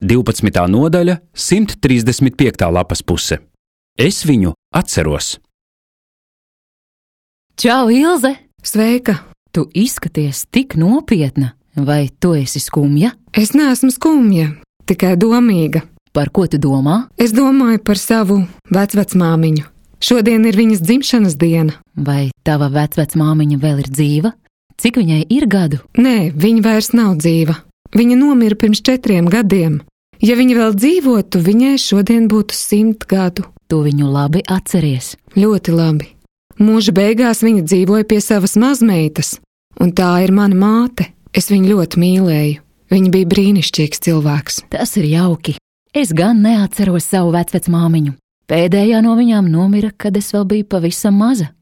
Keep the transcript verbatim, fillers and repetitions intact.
divpadsmitā nodaļa, simt trīsdesmit piektā lapas puse. Es viņu atceros. Čau, Ilze! Sveika! Tu izskaties tik nopietna, vai tu esi skumja? Es neesmu skumja, tikai domīga. Par ko tu domā? Es domāju par savu vecvecmāmiņu. Šodien ir viņas dzimšanas diena. Vai tava vecvecmāmiņa vēl ir dzīva? Cik viņai ir gadu? Nē, viņa vairs nav dzīva. Viņa nomira pirms četriem gadiem. Ja viņa vēl dzīvotu, viņai šodien būtu simt gadu. Tu viņu labi atceries. Ļoti labi. Mūža beigās viņa dzīvoja pie savas mazmeitas, un tā ir mana māte. Es viņu ļoti mīlēju. Viņa bija brīnišķīgs cilvēks. Tas ir jauki. Es gan neatceros savu vecvecmāmiņu. Pēdējā no viņām nomira, kad es vēl biju pavisam maza.